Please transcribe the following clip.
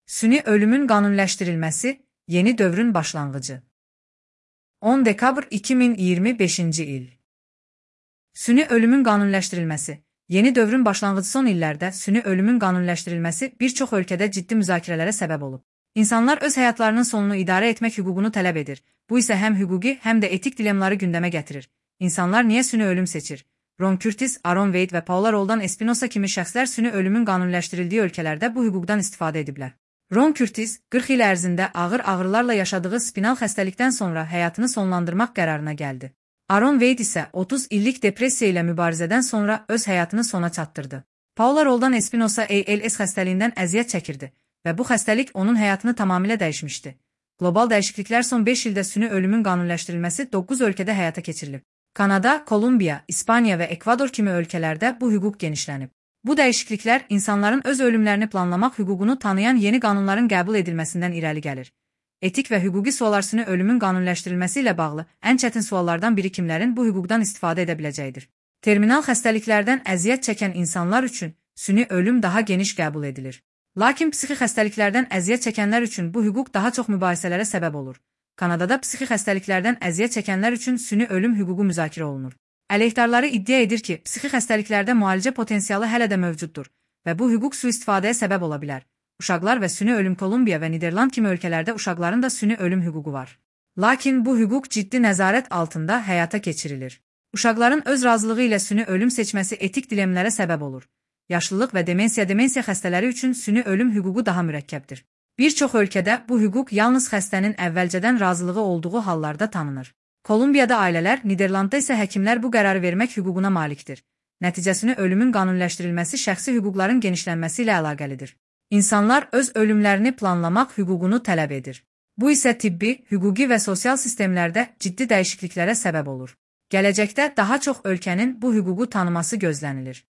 Süni ölümün qanuniləşdirilməsi yeni dövrün başlanğıcı. 10 dekabr 2025-ci il. Süni ölümün qanuniləşdirilməsi yeni dövrün başlanğıcı. Son illərdə süni ölümün qanuniləşdirilməsi bir çox ölkədə ciddi müzakirələrə səbəb olub. İnsanlar öz həyatlarının sonunu idarə etmək hüququnu tələb edir. Bu isə həm hüquqi, həm də etik dilemmaları gündəmə gətirir. İnsanlar niyə süni ölüm seçir? Ron Curtis, Aaron Wade və Paula Roldan Espinosa kimi şəxslər süni ölümün qanuniləşdirildiyi ölkələrdə bu hüquqdan istifadə ediblər. Ron Curtis, 40 il ərzində ağır ağrılarla yaşadığı spinal xəstəlikdən sonra həyatını sonlandırmaq qərarına gəldi. Aaron Wade isə 30 illik depressiya ilə mübarizədən sonra öz həyatını sona çatdırdı. Paula Roldan Espinosa ALS xəstəliyindən əziyyət çəkirdi və bu xəstəlik onun həyatını tamamilə dəyişmişdi. Qlobal dəyişikliklər son 5 ildə süni ölümün qanuniləşdirilməsi 9 ölkədə həyata keçirilib. Kanada, Kolumbiya, İspaniya və Ekvador kimi ölkələrdə bu hüquq genişlənib. Bu dəyişikliklər insanların öz ölümlərini planlamaq hüququnu tanıyan yeni qanunların qəbul edilməsindən irəli gəlir. Etik və hüquqi suallar süni ölümün qanuniləşdirilməsi ilə bağlı ən çətin suallardan biri kimlərin bu hüquqdan istifadə edə biləcəyidir. Terminal xəstəliklərdən əziyyət çəkən insanlar üçün süni ölüm daha geniş qəbul edilir. Lakin psixi xəstəliklərdən əziyyət çəkənlər üçün bu hüquq daha çox mübahisələrə səbəb olur. Kanadada psixi xəstəliklərdən əziyyət çəkənlər üçün süni ölüm hüququ müzakirə olunur. Əleyhdarları iddia edir ki, psixi xəstəliklərdə müalicə potensialı hələ də mövcuddur və bu hüquq sui-istifadəyə səbəb ola bilər. Uşaqlar və süni ölüm Kolumbiya və Niderland kimi ölkələrdə uşaqların da süni ölüm hüququ var. Lakin bu hüquq ciddi nəzarət altında həyata keçirilir. Uşaqların öz razılığı ilə süni ölüm seçməsi etik dilemlərə səbəb olur. Yaşlılıq və demensiya xəstələri üçün süni ölüm hüququ daha mürəkkəbdir. Bir çox ölkədə bu hüquq yalnız xəstənin əvvəlcədən razılığı olduğu hallarda tanınır. Kolumbiyada ailələr, Niderlandda isə həkimlər bu qərarı vermək hüququna malikdir. Nəticəsini ölümün qanuniləşdirilməsi şəxsi hüquqların genişlənməsi ilə əlaqəlidir. İnsanlar öz ölümlərini planlamaq hüququnu tələb edir. Bu isə tibbi, hüquqi və sosial sistemlərdə ciddi dəyişikliklərə səbəb olur. Gələcəkdə daha çox ölkənin bu hüququ tanıması gözlənilir.